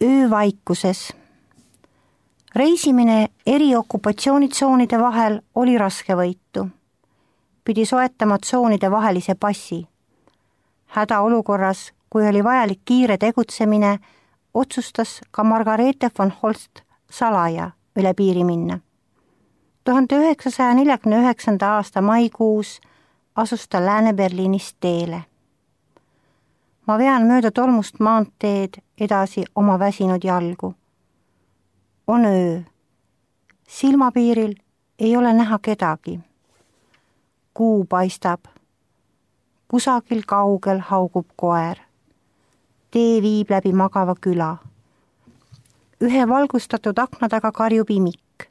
öövaikuses. Reisimine eri okupatsioonitsoonide vahel oli raskevõitu. Pidi soetama tsoonide vahelise passi. Hädaolukorras, kui oli vajalik kiire tegutsemine, otsustas ka Margareete von Holst salaja üle piiri minna. 1949. aasta maikuus asus ta Lääne-Berliinist teele. Ma vean mööda tolmust maanteed edasi oma väsinud jalgu. On öö. Silmapiiril ei ole näha kedagi. Kuu paistab. Kusagil kaugel haugub koer. Tee viib läbi magava küla. Ühe valgustatud akna taga karjub imik.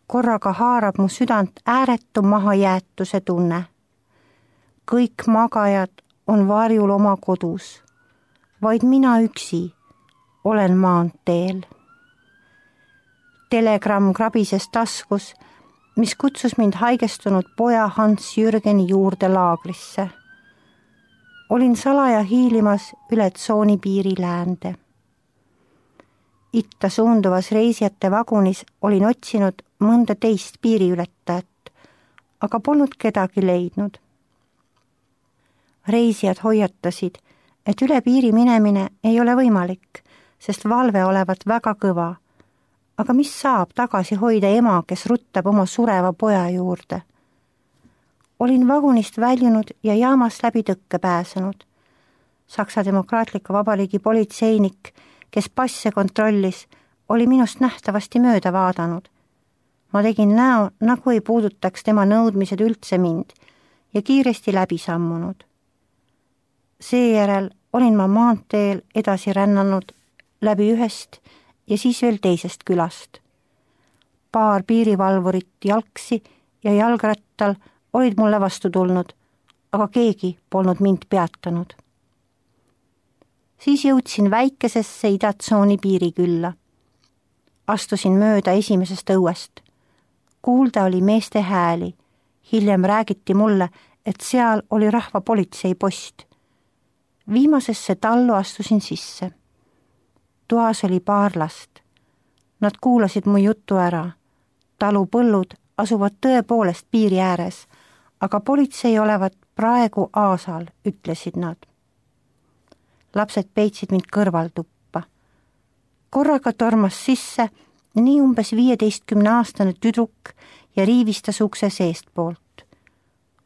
Korraga haarab mu südant ääretu mahajäetuse tunne. Kõik magajad on varjul oma kodus. Vaid mina üksi olen maanteel. Telegramm krabises taskus, mis kutsus mind haigestunud poja Hans Jürgeni juurde laagrisse. Olin salaja hiilimas üle tsooni piiri läände. Itta suunduvas reisijate vagunis olin otsinud mõnda teist piiriületajat, aga polnud kedagi leidnud. Reisijad hoiatasid, et üle piiri minemine ei ole võimalik, sest valve olevat väga kõva. Aga mis saab tagasi hoida ema, kes ruttab oma sureva poja juurde? Olin vagunist väljunud ja jaamast läbi tõkke pääsenud. Saksa Demokraatliku Vabariigi politseinik, kes passe kontrollis, oli minust nähtavasti mööda vaadanud. Ma tegin näo, nagu ei puudutaks tema nõudmised üldse mind ja kiiresti läbi sammunud. Seejärel olin ma maanteel edasi rännanud läbi ühest ja siis veel teisest külast. Paar piirivalvurit jalgsi ja jalgrattal olid mulle vastu tulnud, aga keegi polnud mind peatanud. Siis jõudsin väikesesse idatsooni piirikülla. Astusin mööda esimesest õuest. Kuulda oli meeste hääli. Hiljem räägiti mulle, et seal oli rahvapolitsei post. Viimasesse tallu astusin sisse. Toas oli paar last. Nad kuulasid mu jutu ära. Talu põllud asuvad tõepoolest piiri ääres, aga politsei olevat praegu aasal, ütlesid nad. Lapsed peitsid mind kõrvaltuppa. Korraga tormas sisse nii umbes 15-aastane tüdruk ja riivistas ukse seestpoolt.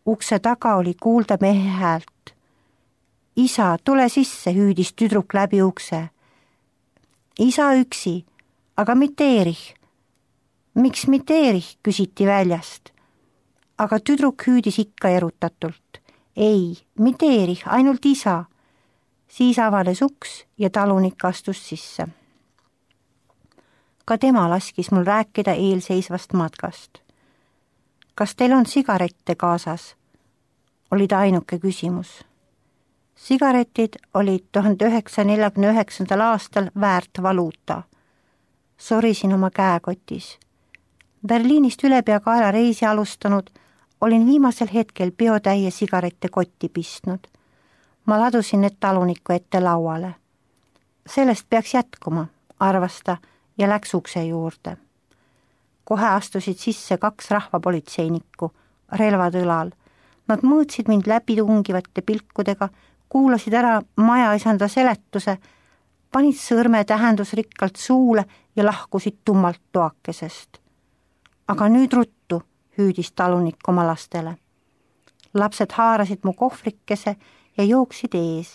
Ukse taga oli kuulda mehe häält. Isa, tule sisse, hüüdis tüdruk läbi ukse. Isa üksi, aga mitte Erich. Miks mitte Erich, küsiti väljast. Aga tüdruk hüüdis ikka erutatult. Ei, mitte Erich, ainult isa. Siis avanes uks ja talunik astus sisse. Ka tema laskis mul rääkida eelseisvast matkast. Kas teil on sigarette kaasas? Oli ta ainuke küsimus. Sigaretid olid 1949. aastal väärt valuuta. Sorisin oma käekotis. Berliinist ülepeakaela reisi alustanud, olin viimasel hetkel biotäie sigarette kotti pistnud. Ma ladusin need taluniku ette lauale. Sellest peaks jätkuma, arvas ta ja läks ukse juurde. Kohe astusid sisse 2 rahvapolitseinikku, relvad õlal. Nad mõõtsid mind läbitungivate pilkudega, kuulasid ära majaisanda seletuse, panid sõrme tähendusrikkalt suule ja lahkusid tummalt toakesest. Aga nüüd ruttu, hüüdis talunik oma lastele. Lapsed haarasid mu kohvrikese ja jooksid ees.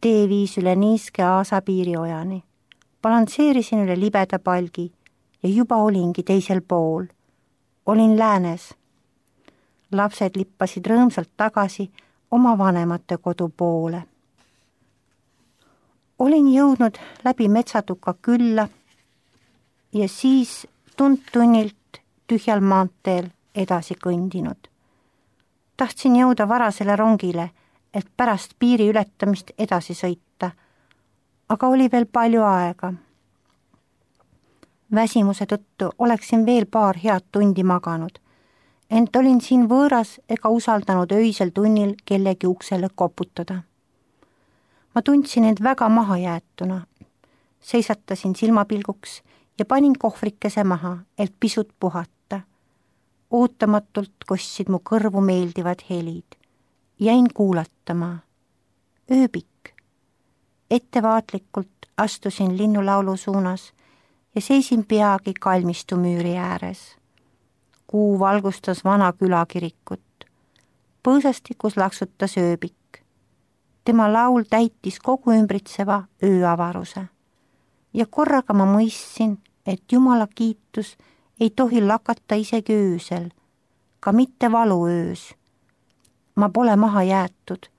Tee viis üle niiske aasa piiriojani. Balansseerisin üle libeda palgi ja juba olingi teisel pool. Olin läänes. Lapsed lippasid rõõmsalt tagasi oma vanemate kodu poole. Olin jõudnud läbi metsatuka külla ja siis tund-tunnilt tühjal maanteel edasi kõndinud. Tahtsin jõuda varasele rongile, et pärast piiri ületamist edasi sõita, aga oli veel palju aega. Väsimuse tõttu oleksin veel paar head tundi maganud, ent olin siin võõras ega usaldanud öisel tunnil kellegi uksele koputada. Ma tundsin end väga mahajäetuna. seisatasin silmapilguks ja panin kohvrikese maha, et pisut puhata. Ootamatult kostsid mu kõrvu meeldivad helid. Jäin kuulatama. Ööbik. Ettevaatlikult astusin linnulaulu suunas ja seisin peagi kalmistu müüri ääres. Kuu valgustas vana külakirikut. Põõsastikus laksutas ööbik. Tema laul täitis kogu ümbritseva ööavaruse. Ja korraga ma mõistsin, et Jumala kiitus ei tohi lakata isegi öösel, ka mitte valuöös. Ma pole maha jäetud.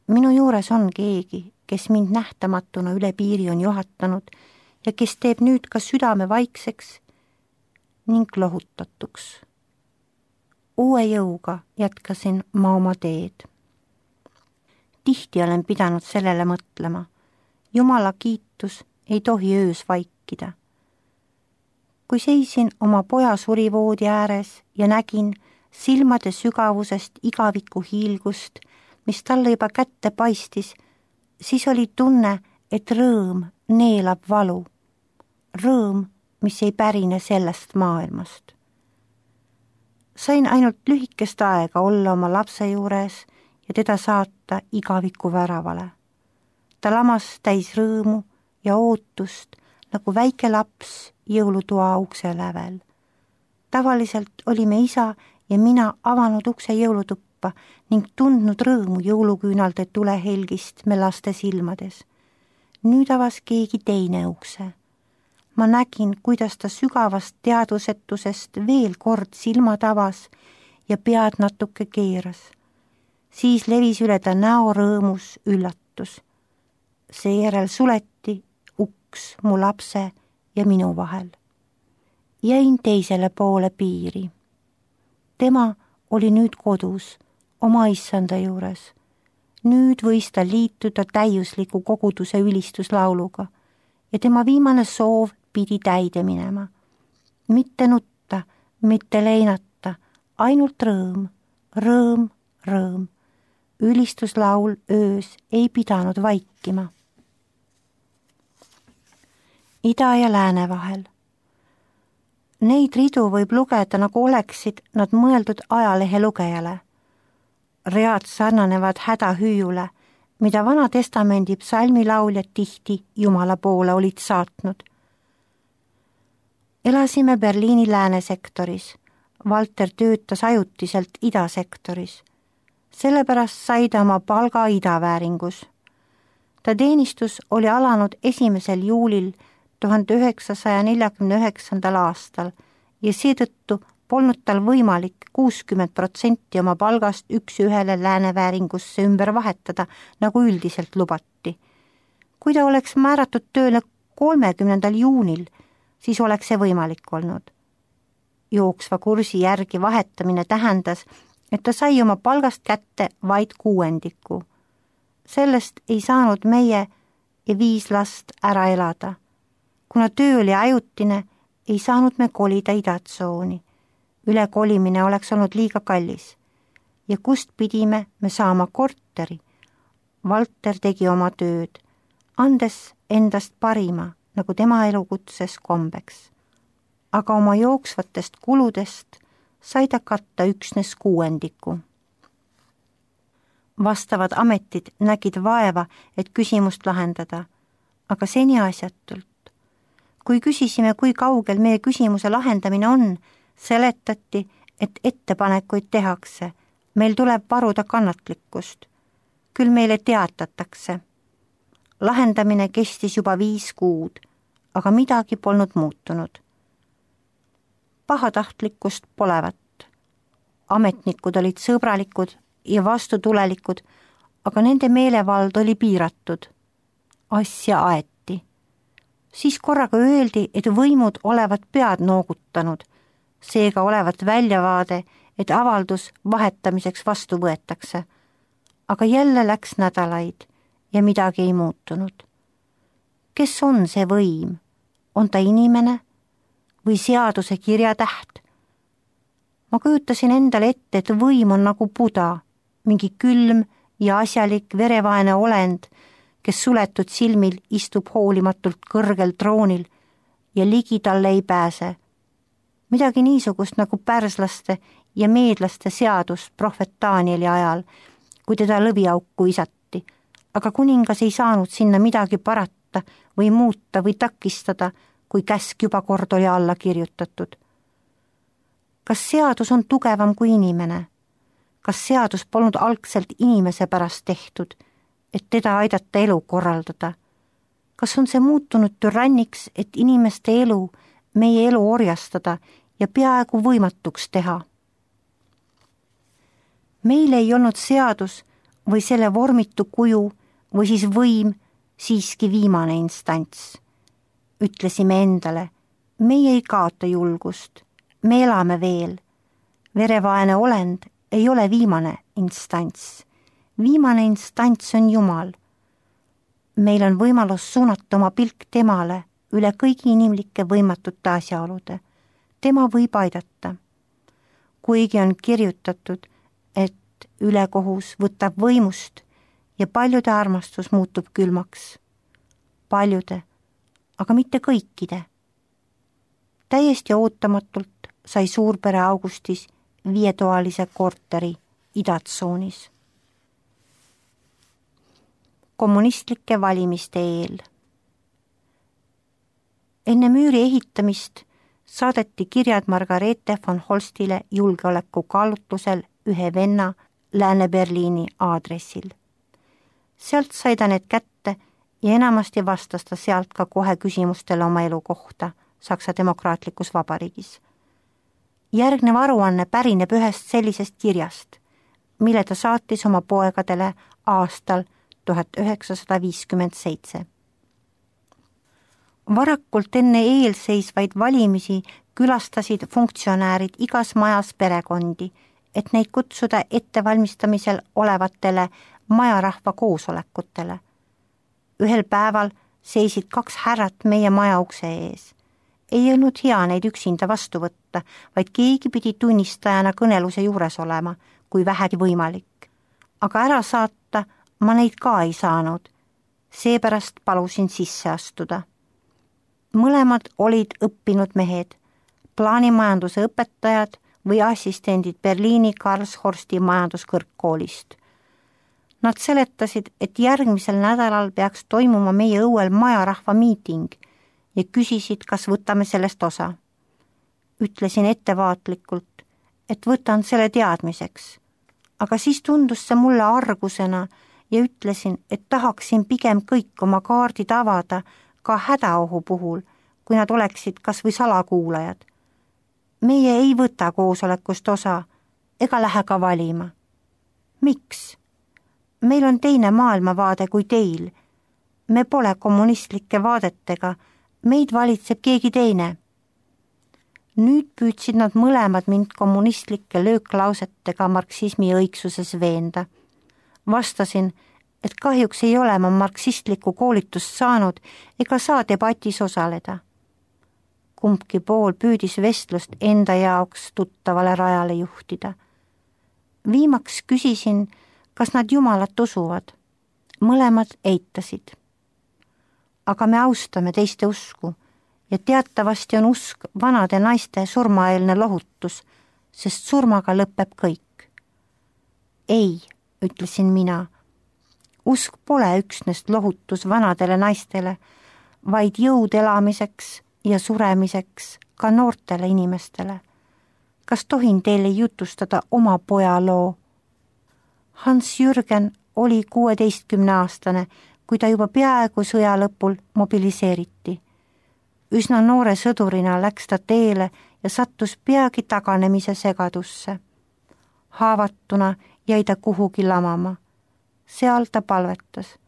Minu juures on keegi, kes mind nähtamatuna üle piiri on juhatanud ja kes teeb nüüd ka südame vaikseks ning lohutatuks. Uue jõuga jätkasin ma oma teed. Tihti olen pidanud sellele mõtlema. Jumala kiitus ei tohi öös vaikida. Kui seisin oma poja surivoodi ääres ja nägin silmade sügavusest igaviku hiilgust, mis talle juba kätte paistis, siis oli tunne, et rõõm neelab valu. Rõõm, mis ei pärine sellest maailmast. Sain ainult lühikest aega olla oma lapse juures ja teda saata igaviku väravale. Ta lamas täis rõõmu ja ootust nagu väike laps jõulutoa ukse lävel. Tavaliselt olime isa ja mina avanud ukse jõulutuppa ning tundnud rõõmu jõuluküünalde tulehelgist me laste silmades. Nüüd avas keegi teine ukse. Ma nägin, kuidas ta sügavast teadvusetusest veel kord silmad avas ja pead natuke keeras. Siis levis üle ta näo rõõmus üllatus. Seejärel suleti uks mu lapse ja minu vahel. Jäin teisele poole piiri. Tema oli nüüd kodus, oma issanda juures. Nüüd võis ta liituda täiusliku koguduse ülistuslauluga ja tema viimane soov pidi täide minema. Mitte nutta, mitte leinata, ainult rõõm, rõõm, rõõm. Ülistuslaul öös ei pidanud vaikima. Ida ja lääne vahel. Neid ridu võib lugeda, nagu oleksid nad mõeldud ajalehe lugejale. Read sarnanevad hädahüüule, mida Vana Testamendi psalmilauljad tihti Jumala poole olid saatnud. Elasime Berliini läänesektoris. Valter töötas ajutiselt idasektoris. Sellepärast sai ta oma palga idavääringus. Ta teenistus oli alanud 1. juulil 1949. aastal ja seetõttu polnud tal võimalik 60% oma palgast üks-ühele läänevääringusse ümber vahetada, nagu üldiselt lubati. Kui ta oleks määratud tööle 30. juunil, siis oleks see võimalik olnud. Jooksva kursi järgi vahetamine tähendas, et ta sai oma palgast kätte vaid 1/6. Sellest ei saanud meie ja 5 last ära elada. Kuna töö oli ajutine, ei saanud me kolida idatsooni. Ülekolimine oleks olnud liiga kallis. Ja kust pidime me saama korteri? Valter tegi oma tööd, andes endast parima, nagu tema elukutses kombeks. Aga oma jooksvatest kuludest sai ta katta üksnes 1/6. Vastavad ametid nägid vaeva, et küsimust lahendada, aga seni asjatult. Kui küsisime, kui kaugel meie küsimuse lahendamine on, seletati, et ettepanekuid tehakse. Meil tuleb varuda kannatlikkust. Küll meile teatatakse. Lahendamine kestis juba 5 kuud, aga midagi polnud muutunud. Pahatahtlikkust polevat. Ametnikud olid sõbralikud ja vastutulelikud, aga nende meelevald oli piiratud. Asja aeti. Siis korraga öeldi, et võimud olevat pead noogutanud, seega olevat väljavaade, et avaldus vahetamiseks vastu võetakse. Aga jälle läks nädalaid ja midagi ei muutunud. Kes on see võim? On ta inimene või seaduse kirjatäht? Ma kujutasin endale ette, et võim on nagu Buda, mingi külm ja asjalik verevaene olend, kes suletud silmil istub hoolimatult kõrgel troonil ja ligi talle ei pääse. Midagi niisugust nagu pärslaste ja meedlaste seadus prohvet Danieli ajal, kui teda lõviauku visati, aga kuningas ei saanud sinna midagi parata või muuta või takistada, kui käsk juba kord oli alla kirjutatud. Kas seadus on tugevam kui inimene? Kas seadus polnud algselt inimese pärast tehtud, et teda aidata elu korraldada? Kas on see muutunud türanniks, et inimeste elu, meie elu orjastada ja peaaegu võimatuks teha? Meil ei olnud seadus või selle vormitu kuju või siis võim siiski viimane instants. Ütlesime endale, meie ei kaota julgust, me elame veel. Verevaene olend ei ole viimane instants. Viimane instants on Jumal. Meil on võimalus suunata oma pilk temale üle kõigi inimlike võimatute asjaolude. Tema võib aidata. Kuigi on kirjutatud, et ülekohus võtab võimust ja paljude armastus muutub külmaks. Paljude, aga mitte kõikide. Täiesti ootamatult sai suurpere Augustis 5-toalise korteri idatsoonis. Kommunistlike valimiste eel. Enne müüri ehitamist saadeti kirjad Margarethe von Holstile julgeoleku kaalutlusel ühe venna Lääne-Berliini aadressil. Sealt sai ta need kätte ja enamasti vastas ta sealt ka kohe küsimustele oma elu kohta Saksa Demokraatlikus Vabariigis. Järgnev aruanne pärineb ühest sellisest kirjast, mille ta saatis oma poegadele aastal 1957. Varakult enne eelseisvaid valimisi külastasid funktsionäärid igas majas perekondi, et neid kutsuda ettevalmistamisel olevatele majarahva koosolekutele. Ühel päeval seisid 2 härrat meie maja ukse ees. Ei olnud hea neid üksinda vastu võtta, vaid keegi pidi tunnistajana kõneluse juures olema, kui vähegi võimalik. Aga ära saata ma neid ka ei saanud, seepärast palusin sisse astuda. Mõlemad olid õppinud mehed, plaanimajanduse õpetajad või assistendid Berliini Karlshorsti majanduskõrgkoolist. Nad seletasid, et järgmisel nädalal peaks toimuma meie õuel majarahva miiting ja küsisid, kas võtame sellest osa. Ütlesin ettevaatlikult, et võtan selle teadmiseks, aga siis tundus see mulle argusena ja ütlesin, et tahaksin pigem kõik oma kaardid avada ka hädaohu puhul, kui nad oleksid kas või salakuulajad. Meie ei võta koosolekust osa ega lähe ka valima. Miks? Meil on teine maailmavaade kui teil. Me pole kommunistlike vaadetega, meid valitseb keegi teine. Nüüd püüdsid nad mõlemad mind kommunistlike lööklausetega marksismi õigsuses veenda. Vastasin, et kahjuks ei ole ma marksistlikku koolitust saanud ega saa debatis osaleda. Kumbki pool püüdis vestlust enda jaoks tuttavale rajale juhtida. Viimaks küsisin, kas nad Jumalat usuvad. Mõlemad eitasid. Aga me austame teiste usku ja teatavasti on usk vanade naiste surmaeelne lohutus, sest surmaga lõpeb kõik. Ei, ütlesin mina. Usk pole üksnes lohutus vanadele naistele, vaid jõud elamiseks ja suremiseks ka noortele inimestele. Kas tohin teile jutustada oma poja loo? Hans-Jürgen oli 16-aastane, kui ta juba peaaegu sõja lõpul mobiliseeriti. Üsna noore sõdurina läks ta teele ja sattus peagi taganemise segadusse. Haavatuna jäi ta kuhugi lamama. Seal ta palvetas.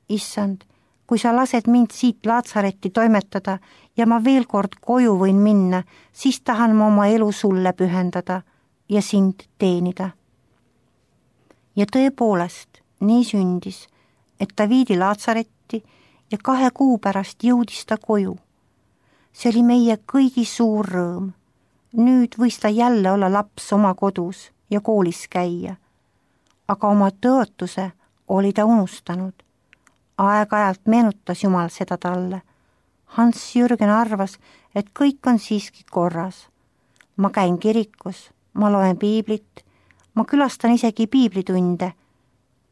Issand, kui sa lased mind siit Laatsaretti toimetada ja ma veel kord koju võin minna, siis tahan ma oma elu sulle pühendada ja sind teenida. Ja tõepoolest nii sündis, et ta viidi Laatsaretti ja 2 kuu pärast jõudis ta koju. See oli meie kõigi suur rõõm. Nüüd võis ta jälle olla laps oma kodus ja koolis käia. Aga oma tõotuse oli ta unustanud. Aeg-ajalt meenutas Jumal seda talle. Hans-Jürgen arvas, et kõik on siiski korras. Ma käin kirikus, ma loen piiblit, ma külastan isegi piiblitunde.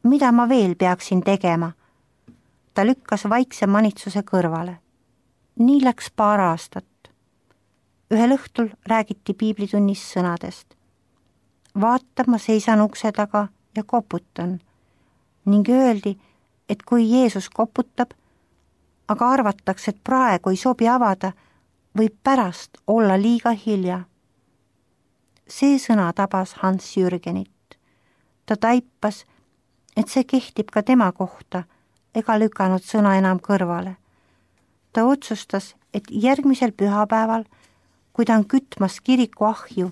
Mida ma veel peaksin tegema? Ta lükkas vaikse manitsuse kõrvale. Nii läks paar aastat. Ühel õhtul räägiti piiblitunnis sõnadest. Vaata, ma seisan ukse taga ja koputan. Ning öeldi, et kui Jeesus koputab, aga arvatakse, et praegu ei sobi avada, võib pärast olla liiga hilja. See sõna tabas Hans-Jürgenit. Ta taipas, et see kehtib ka tema kohta, ega lükanud sõna enam kõrvale. Ta otsustas, et järgmisel pühapäeval, kui ta on kütmas kiriku ahju,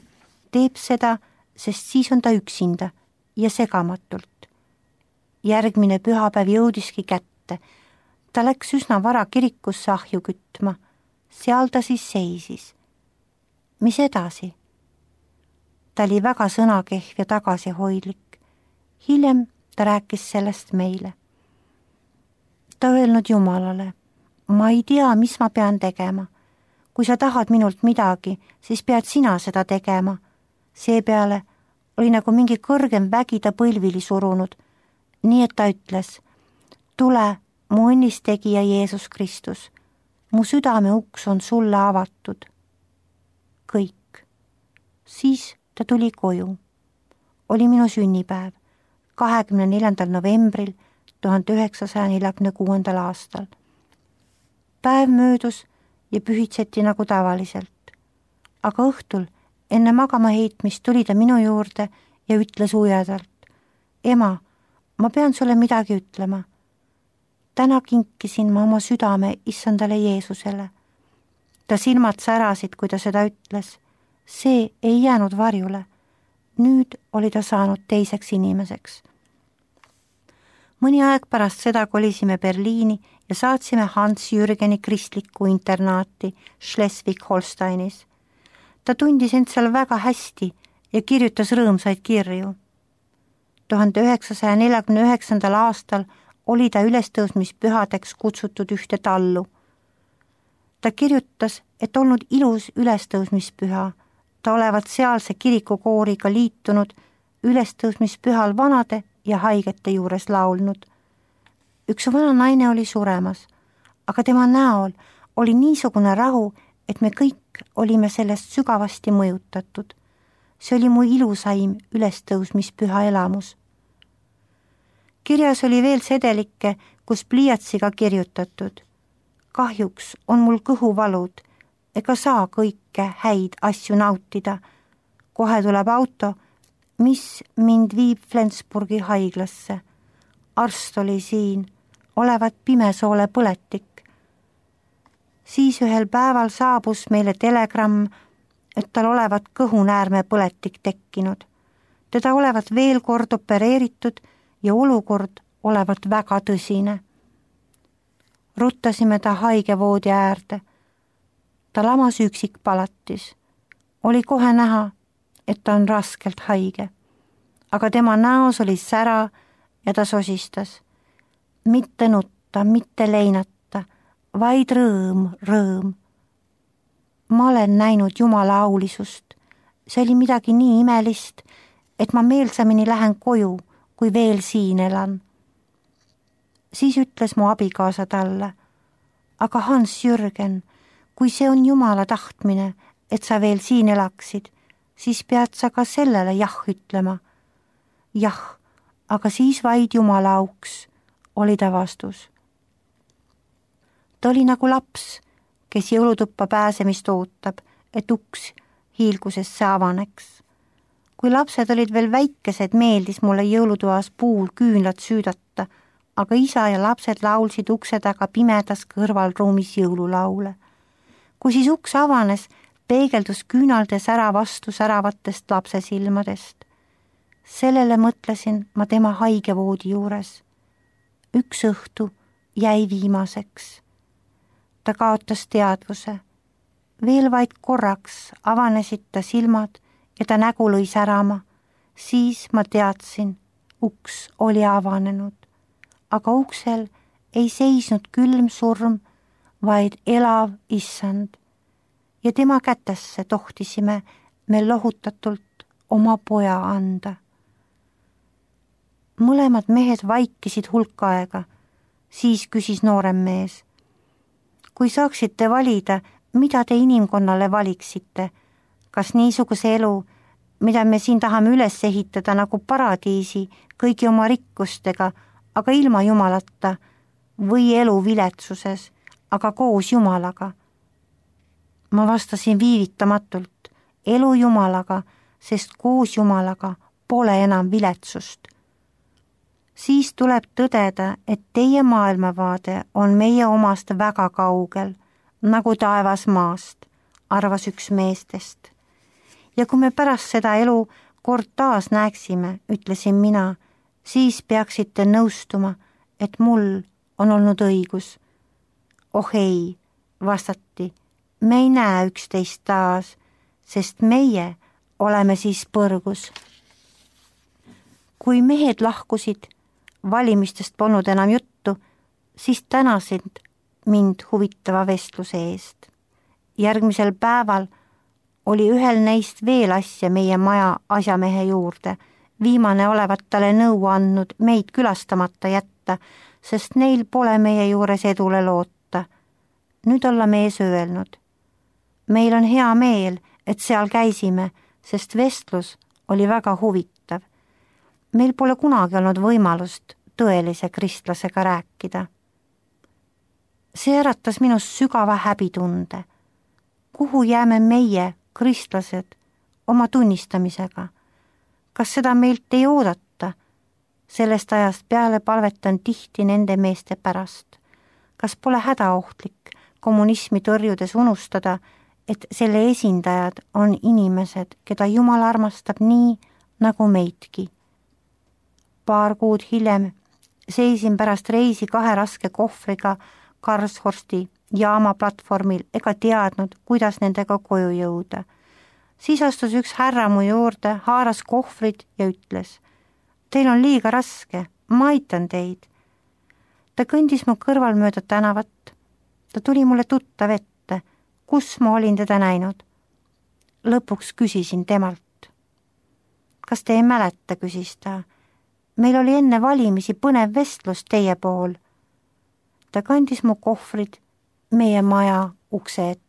teeb seda, sest siis on ta üksinda ja segamatult. Järgmine pühapäev jõudiski kätte. Ta läks üsna vara kirikusse ahju kütma. Seal ta siis seisis. Mis edasi? Ta oli väga sõnakehv ja tagasihoidlik. Hiljem ta rääkis sellest meile. Ta öelnud Jumalale, ma ei tea, mis ma pean tegema. Kui sa tahad minult midagi, siis pead sina seda tegema. Seepeale oli nagu mingi kõrgem vägi ta põlvili surunud, nii et ta ütles, tule, mu õnnistegija Jeesus Kristus, mu südame uks on sulle avatud. Kõik. Siis ta tuli koju. Oli minu sünnipäev, 24. novembril 1946. aastal. Päev möödus ja pühitseti nagu tavaliselt. Aga õhtul enne magama heitmist tuli ta minu juurde ja ütles ujedalt, ema, ma pean sulle midagi ütlema. Täna kinkisin ma oma südame issandale Jeesusele. Ta silmad särasid, kui ta seda ütles. See ei jäänud varjule. Nüüd oli ta saanud teiseks inimeseks. Mõni aeg pärast seda kolisime Berliini ja saatsime Hans-Jürgeni kristlikku internaati Schleswig-Holsteinis. Ta tundis end seal väga hästi ja kirjutas rõõmsaid kirju. 1949. aastal oli ta ülestõusmispühadeks kutsutud ühte tallu. Ta kirjutas, et olnud ilus ülestõusmispüha. Ta olevat sealse kirikukooriga liitunud ülestõusmispühal vanade ja haigete juures laulnud. Üks vana naine oli suremas, aga tema näol oli niisugune rahu, et me kõik olime sellest sügavasti mõjutatud. See oli mu ilusaim ülestõusmispüha elamus. Kirjas oli veel sedelikke, kus pliiatsiga kirjutatud. Kahjuks on mul kõhuvalud, ega saa kõike häid asju nautida. Kohe tuleb auto, mis mind viib Flensburgi haiglasse. Arst oli siin, olevat pimesoole põletik. Siis ühel päeval saabus meile telegramm, et tal olevat kõhunäärme põletik tekkinud. Teda olevat veel kord opereeritud ja olukord olevat väga tõsine. Ruttasime ta haigevoodi äärde. Ta lamas üksikpalatis. Oli kohe näha, et ta on raskelt haige. Aga tema näos oli sära ja ta sosistas. Mitte nutta, mitte leinata, vaid rõõm. Ma olen näinud Jumala aulisust. See oli midagi nii imelist, et ma meelsamini lähen koju, kui veel siin elan. Siis ütles mu abikaasa talle, aga Hans-Jürgen, kui see on Jumala tahtmine, et sa veel siin elaksid, siis pead sa ka sellele jah ütlema. Jah, aga siis vaid Jumala auks, oli ta vastus. Ta oli nagu laps, kes jõulutuppa pääsemist ootab, et uks hiilgusesse avaneks. Kui lapsed olid veel väikesed, meeldis mulle jõulutoas puul küünlad süüdata, aga isa ja lapsed laulsid ukse taga pimedas kõrvalruumis jõululaule. Kui siis uks avanes, peegeldus küünalde sära vastu säravatest lapse silmadest. Sellele mõtlesin ma tema haigevoodi juures. Üks õhtu jäi viimaseks. Ta kaotas teadvuse. Veel vaid korraks avanesid ta silmad ja ta nägu lõi särama. Siis ma teadsin, uks oli avanenud, aga uksel ei seisnud külm surm, vaid elav issand. Ja tema kätesse tohtisime me lohutatult oma poja anda. Mõlemad mehed vaikisid hulk aega, siis küsis noorem mees. Kui saaksite valida, mida te inimkonnale valiksite, kas niisuguse elu, mida me siin tahame üles ehitada nagu paradiisi kõigi oma rikkustega, aga ilma Jumalata, või elu viletsuses, aga koos Jumalaga? Ma vastasin viivitamatult, elu Jumalaga, sest koos Jumalaga pole enam viletsust. Siis tuleb tõdeda, et teie maailmavaade on meie omast väga kaugel, nagu taevas maast, arvas üks meestest. Ja kui me pärast seda elu kord taas näeksime, ütlesin mina, siis peaksite nõustuma, et mul on olnud õigus. Oh ei, vastati, me ei näe üksteist taas, sest meie oleme siis põrgus. Kui mehed lahkusid, valimistest polnud enam juttu, siis tänasid mind huvitava vestluse eest. Järgmisel päeval oli ühel neist veel asja meie maja asjamehe juurde. Viimane olevat talle nõu andnud meid külastamata jätta, sest neil pole meie juures edule loota. Nüüd olla mees öelnud. Meil on hea meel, et seal käisime, sest vestlus oli väga huvitav. Meil pole kunagi olnud võimalust tõelise kristlasega rääkida. See äratas minus sügava häbitunde. Kuhu jääme meie, kristlased, oma tunnistamisega? Kas seda meilt ei oodata? Sellest ajast peale palvetan tihti nende meeste pärast. Kas pole hädaohtlik kommunismi tõrjudes unustada, et selle esindajad on inimesed, keda Jumal armastab nii, nagu meidki? Paar kuud hiljem seisin pärast reisi 2 raske kohvriga Karlshorsti jaama platvormil ega teadnud, kuidas nendega koju jõuda. Siis astus üks härra mu juurde, haaras kohvrid ja ütles, teil on liiga raske, ma aitan teid. Ta kõndis mu kõrval mööda tänavat. Ta tuli mulle tuttav ette, kus ma olin teda näinud. Lõpuks küsisin temalt. Kas te ei mäleta, küsis ta. Meil oli enne valimisi põnev vestlus teie pool. Ta kandis mu kohvrid meie maja ukse ette.